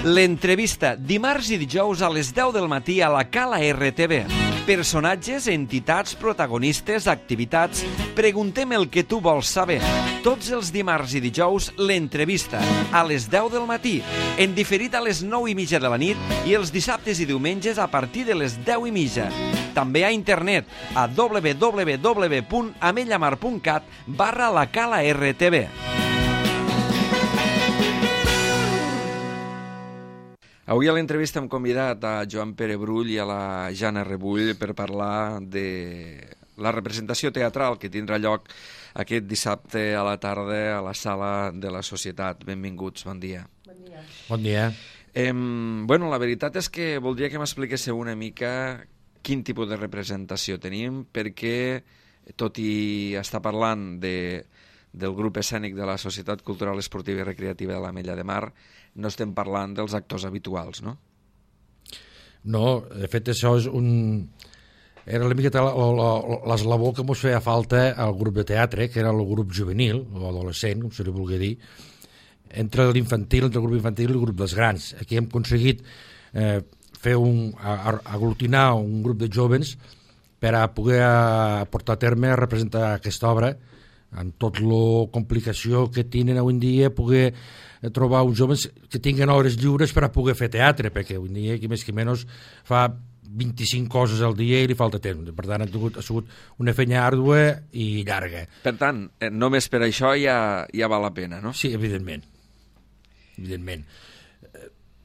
L'entrevista, dimarts i dijous a les 10 del matí a la Cala RTV. Personatges, entitats, protagonistes, activitats. Preguntem el que tu vols saber. Tots els dimarts i dijous, l'entrevista, a les 10 del matí, en diferit a les 9:30 de la nit i els dissabtes i diumenges a partir de les 10:30. També a internet a www.amellamar.cat/la Cala RTV. Avui a l'entrevista hem convidat a Joan Pere Brull i a la Jana Rebull per parlar de la representació teatral que tindrà lloc aquest dissabte a la tarda a la Sala de la Societat. Benvinguts, bon dia. Bon dia. Bon dia. Bueno, la veritat és que voldria que m'expliquéssiu una mica quin tipus de representació tenim, perquè, tot i estar parlant del grup escènic de la Societat Cultural Esportiva i Recreativa de l'Ametlla de Mar, no estem parlant dels actors habituals, no? No, de fet això és era una miqueta l'eslabó que ens feia falta al grup de teatre, que era el grup juvenil, o adolescent, com se li vulgui dir, entre l'infantil, entre el grup infantil i el grup dels grans. Aquí hem aconseguit aglutinar un grup de jóvens per a poder portar a terme a representar aquesta obra amb tot la complicació que tenen avui en dia, poder trobar uns joves que tinguen hores lliures per a poder fer teatre, perquè avui en dia, qui més que menys, fa 25 coses al dia i li falta temps. Per tant, ha sigut una feina àrdua i llarga. Per tant, només per això ja val la pena, no? Sí, evidentment.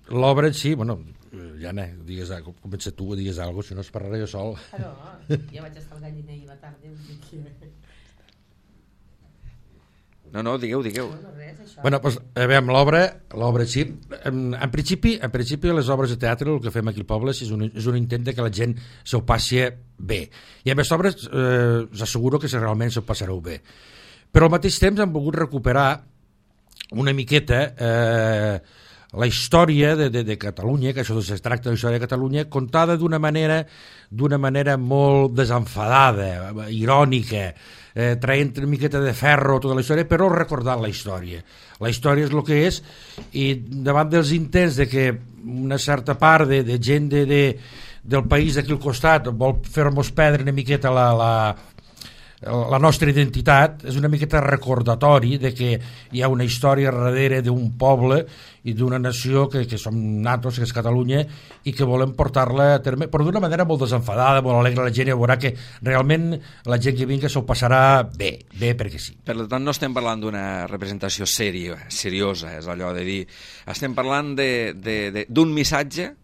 L'obra en si, bueno, Jana, comença tu, digues alguna cosa, si no es parlaré jo sol. No, ja vaig estar al galliner ahir a la tarda. No, digueu. No, res, això. Bueno, doncs, veiem l'obra sí. En principi, les obres de teatre, el que fem aquí al poble és un intent de que la gent s'ho passi bé. I amb les obres us asseguro que realment s'ho passareu bé. Però al mateix temps hem volgut recuperar una miqueta la història de Catalunya, que això es tracta de la història de Catalunya, contada d'una manera molt desenfadada, irònica, traient una miqueta de ferro tota la història, però recordant la història. La història és el que és, i davant dels intents de que una certa part de gent del país d'aquí al costat vol fer-nos perdre una miqueta la nostra identitat, és una miqueta recordatori de que hi ha una història darrere d'un poble i d'una nació que som nosaltres, que és Catalunya, i que volem portar-la a terme, però d'una manera molt desenfadada, molt alegre. La gent ja veurà que realment la gent que vingui s'ho passarà bé perquè sí. Per tant, no estem parlant d'una representació seriosa, és allò de dir, estem parlant d'un missatge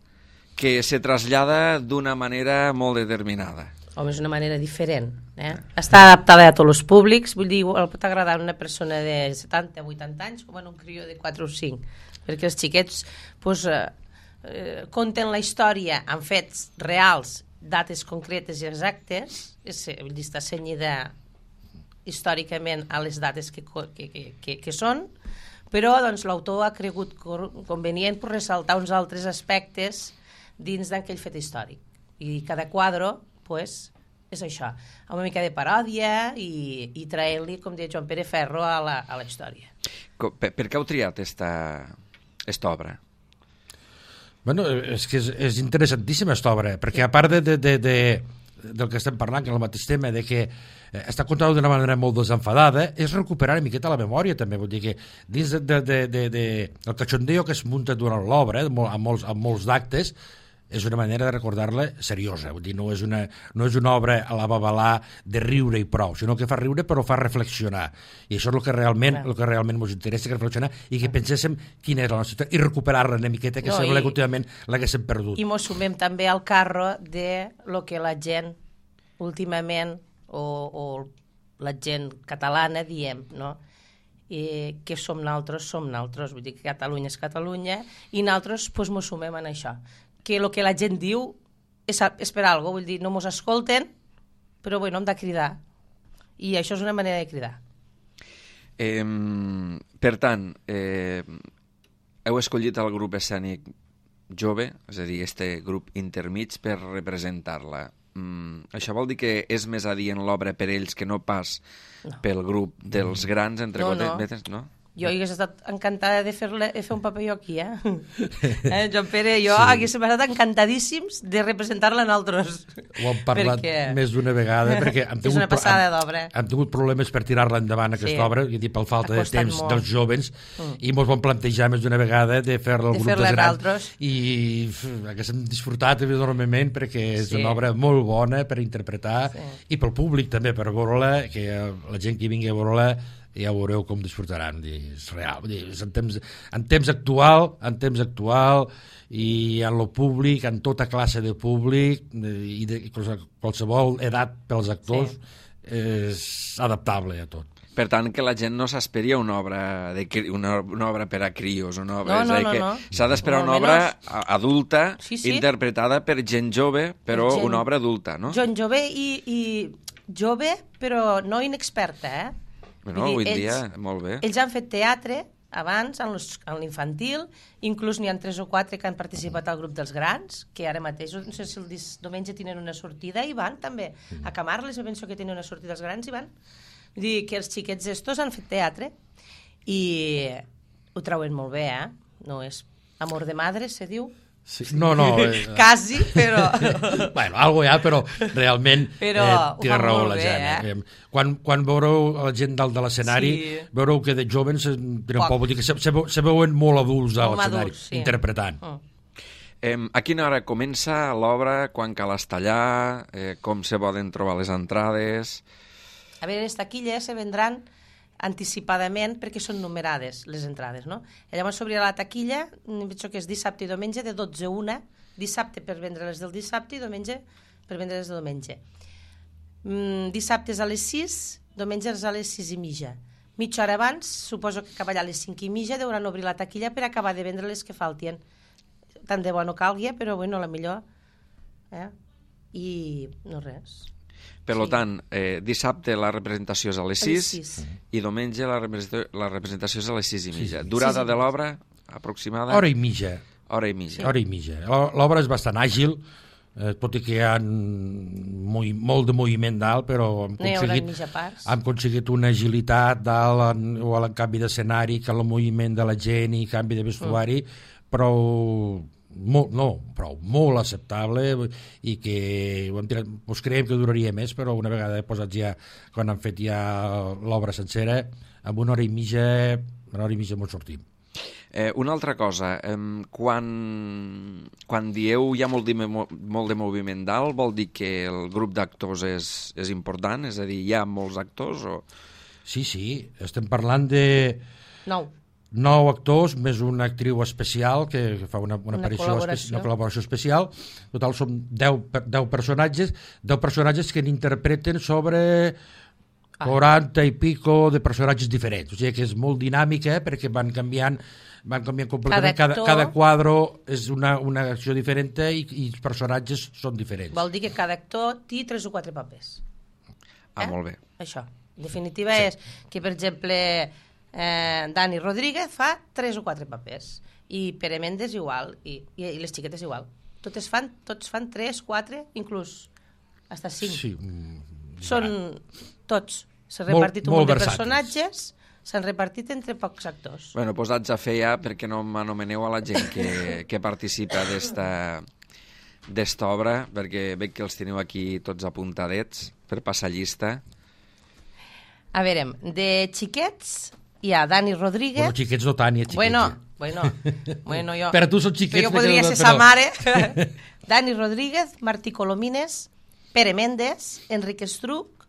que se trasllada d'una manera molt determinada. Home, és una manera diferent. Està adaptada a tots els públics, vull dir, pot agradar una persona de 70 o 80 anys com un crió de 4 o 5, perquè els xiquets conten la història amb fets reals, dates concretes i exactes, vull dir, està cenyida històricament a les dates que són, però doncs, l'autor ha cregut convenient per ressaltar uns altres aspectes dins d'aquell fet històric. I cada quadre és això, amb una mica de paròdia i traient-li, com deia Joan Pere Ferro, a la història. Per què heu triat aquesta obra? Bueno, és que és interessantíssima aquesta obra, perquè a part del que estem parlant, que és el mateix tema, de que està contada d'una manera molt desenfadada, és recuperar una miqueta la memòria també, vull dir que dins del cachondeo que es munta durant l'obra, amb molts d'actes, és una manera de recordar-la seriosa, vull dir, no és una obra a la babalà de riure i prou, sinó que fa riure però fa reflexionar, i això és el que realment ens interessa, que reflexionar i que penséssim quina és la nostra història i recuperar-la una miqueta, que sembla que últimament l'haguéssim perdut. I mos sumem també al carro de lo que la gent últimament o la gent catalana diem, no? Que som nosaltres, vull dir que Catalunya és Catalunya i nosaltres mos sumem en això, que el que la gent diu és per alguna cosa, vull dir, no mos escolten, però bueno, hem de cridar. I això és una manera de cridar. Per tant, heu escollit el grup escènic jove, és a dir, este grup intermig, per representar-la. Això vol dir que és més adient l'obra per ells que no pas pel grup dels grans, entre cometes, no? Jo hagués estat encantada de fer un paper jo aquí, Joan Pere, jo hagués estat encantadíssims de representar-la en altres. Ho hem parlat més d'una vegada, perquè és una passada d'obra. Hem tingut problemes per tirar-la endavant, aquesta obra, i per falta de temps dels joves, i ens vam plantejar més d'una vegada de fer-la al grup de grans, i haguéssim disfrutat enormement, perquè és una obra molt bona per interpretar, i pel públic també, per veure-la, que la gent que vingui a veure-la ja veureu com disfrutaran. És real, és en temps actual, i en el públic, en tota classe de públic, i de qualsevol edat pels actors, és adaptable a tot. Per tant, que la gent no s'esperia una obra per a crios, no. S'ha d'esperar una obra adulta, interpretada per gent jove, però una obra adulta, no? Gent jove i jove, però no inexperta, Bueno, avui dia, molt bé. Ells han fet teatre abans, en l'infantil, inclús n'hi ha 3 o 4 que han participat al grup dels grans, que ara mateix, no sé si el diumenge tenen una sortida, i van també. A Camarles, penso que tenen una sortida dels grans, i van. Vull dir que els xiquets estos han fet teatre, i ho trauen molt bé, No és amor de madre, se diu. Sí. No. Quasi, però... Bueno, algo hi ha, però realment té raó la gent. Quan veureu la gent dalt de l'escenari, veureu que de joves vull dir que se veuen molt adults a l'escenari, interpretant. A quina hora comença l'obra, quan cal estallar, com se poden trobar les entrades? A veure, les taquilles se vendran anticipadament perquè són numerades les entrades, no? Llavors s'obrirà la taquilla, penso que és dissabte i diumenge de 12 a 1, dissabte per vendre les del dissabte i diumenge per vendre les del diumenge. Dissabte és a les 6, diumenge és a les 6 i mitja. Mitja hora abans, suposo que acabarà a les 5 i mitja, deuran obrir la taquilla per acabar de vendre les que faltien. Tant de bo no calgui, però bueno, la millor. I no res. Per tant, dissabte la representació és a les 6 i diumenge la representació és a les 6 i mitja. Durada de l'obra aproximada? Hora i mitja. L'obra és bastant àgil, tot i que hi ha molt de moviment dalt, però hem aconseguit una agilitat dalt o a canvi d'escenari, que el moviment de la gent i canvi de vestuari, però molt acceptable, i que creiem que duraria més, però una vegada posat ja, quan han fet ja l'obra sencera, amb una hora i mitja molt sortim. Una altra cosa, quan dieu hi ha molt de moviment dalt, vol dir que el grup d'actors és important? És a dir, hi ha molts actors? Sí, estem parlant de 9 actors, més una actriu especial que fa una col·laboració especial. Total són 10 personatges que n'interpreten sobre 40 i pico de personatges diferents. O sigui que és molt dinàmica, perquè van canviant completament. Cada quadro és una acció diferent i els personatges són diferents. Vol dir que cada actor té 3 o 4 papers. Molt bé. Això. En definitiva és que, per exemple, Dani Rodríguez fa 3 o 4 papers, i Pere Méndez igual, i les xiquetes igual. Tots fan 3, 4, inclús hasta 5. Sí, són tots. S'han repartit un munt de personatges, s'han repartit entre pocs actors. Bueno, posats a fer ja, perquè no m'anomeneu a la gent que participa d'esta obra, perquè veig que els teniu aquí tots apuntadets per passar llista. A veure, de xiquets hi ha Dani Rodríguez... Bueno, xiquets no tant, hi ha xiquets. Bueno, jo... Però tu són xiquets... Jo podria ser sa mare. Dani Rodríguez, Martí Colomines, Pere Méndez, Enrique Estruc,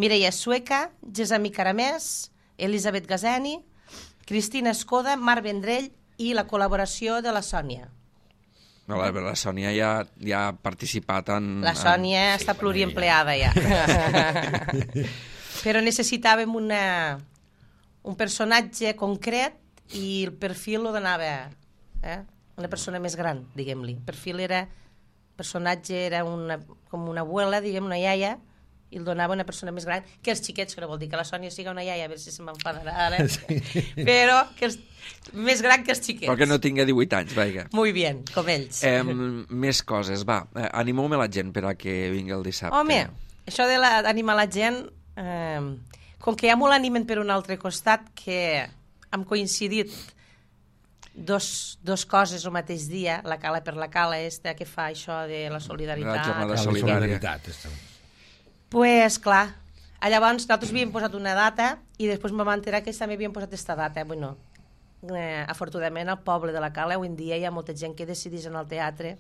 Mireia Sueca, Gesami Caramès, Elisabet Gazeni, Cristina Escoda, Marc Vendrell i la col·laboració de la Sònia. La Sònia ja ha participat en... La Sònia està pluriempleada ja. Però necessitàvem un personatge concret, i el perfil ho donava una persona més gran, diguem-li. El personatge era com una abuela, diguem, una iaia, i el donava una persona més gran que els xiquets, que no vol dir que la Sònia siga una iaia, a veure si se m'enfadarà ara, però que més gran que els xiquets. Però que no tingui 18 anys, vaja. Muy bien, com ells. Més coses, va, animeu-me la gent per a que vingui el dissabte. Home, això d'animar la gent, com que ja m'ho l'animen per un altre costat, que han coincidit dos coses el mateix dia, la cala per la cala que fa això de la solidaritat. La jornada La solidària. Pues clar, llavors nosaltres havíem posat una data i després em vam enterar que ells també havien posat aquesta data. Bueno, afortunadament al poble de la Cala avui en dia hi ha molta gent que decideix en el teatre,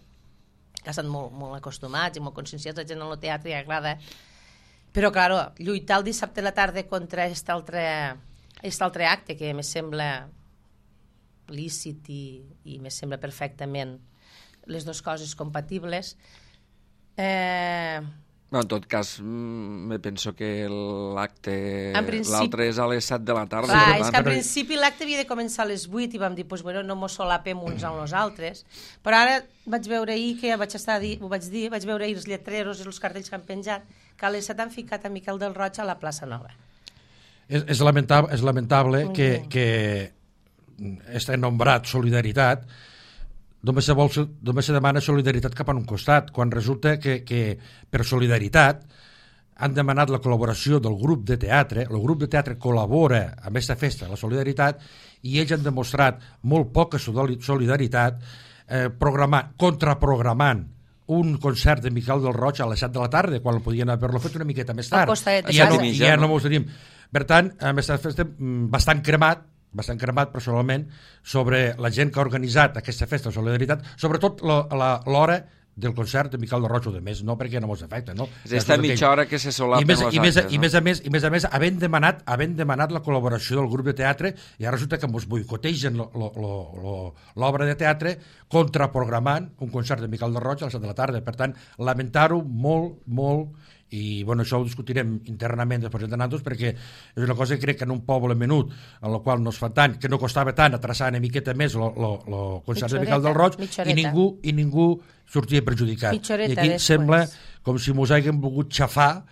que estan molt acostumats i molt conscienciats, la gent en el teatre i agrada, però claro, lluitar el dissabte a la tarda contra aquest altre acte que me sembla lícit i me sembla perfectament les dues coses compatibles. No, en tot cas, me penso que l'altre és a les 7 de la tarda. Clar, és que al principi l'acte havia de començar a les 8 i vam dir, pues, bueno, no mos solapem uns amb els altres, però ara vaig veure ahir, que vaig veure ahir els lletreros i els cartells que han penjat, que a les 7 han ficat a Miquel del Roig a la plaça Nova. És lamentable que este nombrat solidaritat només se demana solidaritat cap a un costat, quan resulta que per solidaritat han demanat la col·laboració del grup de teatre. El grup de teatre col·labora amb aquesta festa, la solidaritat, i ells han demostrat molt poca solidaritat contraprogramant un concert de Miquel del Roig a les 7 de la tarda, quan podien haver-lo fet una miqueta més tard. I ja no mos tenim. Per tant, amb aquesta festa bastant cremat personalment sobre la gent que ha organitzat aquesta festa de solidaritat, sobretot l'hora del concert de Miquel del Roig o de més, no perquè no mos afecta, no? És aquesta mitja hora que se solapen els actes, no? I més a més, havent demanat la col·laboració del grup de teatre, i ara resulta que mos boicotegen l'obra de teatre contraprogramant un concert de Miquel del Roig a les 7 de la tarda. Per tant, lamentar-ho molt, i bueno, això ho discutirem internament després de nosaltres, perquè és una cosa que crec que en un poble menut en el qual no es fa tant, que no costava tant atraçar una miqueta més el concert de Miquel del Roig, i ningú sortia perjudicat. I aquí sembla com si mos haguem volgut xafar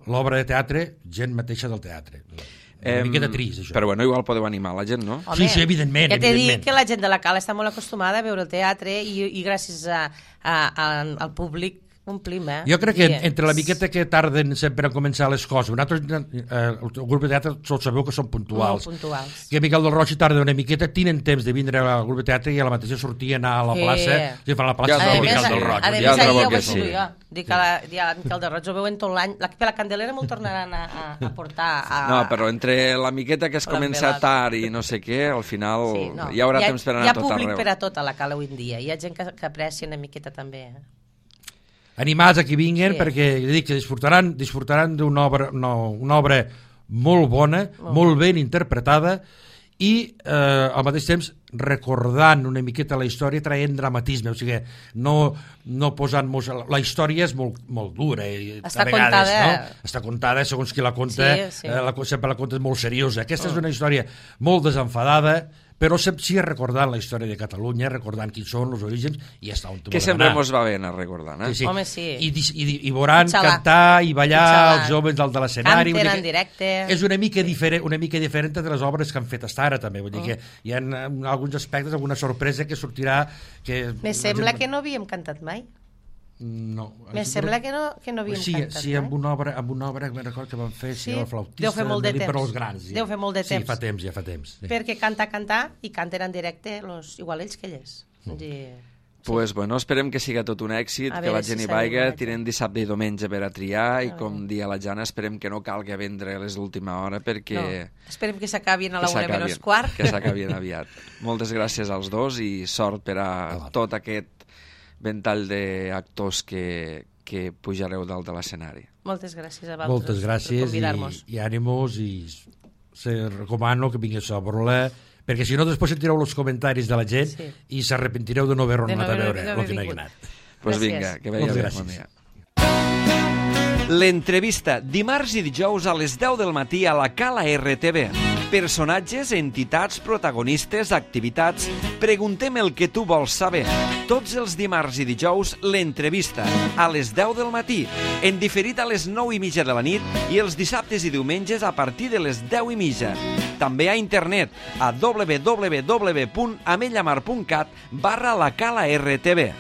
l'obra de teatre, gent mateixa del teatre. Una miqueta trist, això. Però bueno, igual podeu animar la gent, no? Home, sí, evidentment. Ja t'he dit que la gent de la Cala està molt acostumada a veure el teatre i gràcies al públic omplim, Jo crec que entre la miqueta que tarden sempre a començar les coses, nosaltres, el grup de teatre, tots sabeu que són puntuals. Molt puntuals. Que Miquel del Roig tarda una miqueta, tenen temps de vindre al grup de teatre i a la mateixa sortir a anar a la plaça, si fan la plaça de Miquel del Roig. A més, ahir ho vaig dir jo. Dic que Miquel del Roig ho veuen tot l'any. La Candelera m'ho tornaran a portar. No, però entre la miqueta que es comença tard i no sé què, al final hi haurà temps per anar a tot arreu. Hi ha públic per a tot a la Cala avui en dia. Hi ha gent que aprecia una miqueta també, animats a qui vinguin, perquè dic que disfrutaran d'una obra molt bona, molt ben interpretada, i al mateix temps recordant una miqueta la història, traient dramatisme, o sigui, no posant-nos... La història és molt dura, està contada, no? Està contada, segons qui la conta, sempre la conta molt seriosa. Aquesta és una història molt desenfadada, però sí recordant la història de Catalunya, recordant quins són els orígens, i ja està on que sempre mos va bé anar recordant, Sí. Home, sí. I veuran cantar i ballar els joves dalt de l'escenari. Canten en directe. És una mica diferent de les obres que han fet fins ara, també. Vull dir que hi ha alguns aspectes, alguna sorpresa que sortirà... Me sembla que no havíem cantat mai. No. Me sembla que no havíem cantat. Sí, amb una obra que me'n recordo que van fer, el flautista, deu fer molt de temps. Per als grans. Deu fer molt de temps. Sí, ja fa temps. Sí. Perquè cantar i canten en directe igual ells que elles. Pues bueno, esperem que siga tot un èxit, que la gent hi vaiga, tirem dissabte i diumenge per a triar, i com dia la Jana, esperem que no calgui vendre a les d'última hora, perquè... Esperem que s'acabin a la 1:15. Que s'acabin aviat. Moltes gràcies als dos i sort per a tot aquest ventall d'actors que pujareu dalt de l'escenari. Moltes gràcies a vosaltres per convidar-nos. I ànimos, i se recomano que vingués a Borolà, perquè si no després sentireu els comentaris de la gent i s'arrepentireu de no haver anat a veure el que no hi ha anat. Doncs vinga, que veia bé. Bon dia. L'entrevista, dimarts i dijous a les 10 del matí a la Cala RTV. Personatges, entitats, protagonistes, activitats... Preguntem el que tu vols saber. Tots els dimarts i dijous, l'entrevista, a les 10 del matí, en diferit a les 9:30 de la nit i els dissabtes i diumenges a partir de les 10:30. També a internet a www.amellamar.cat/la Cala RTV.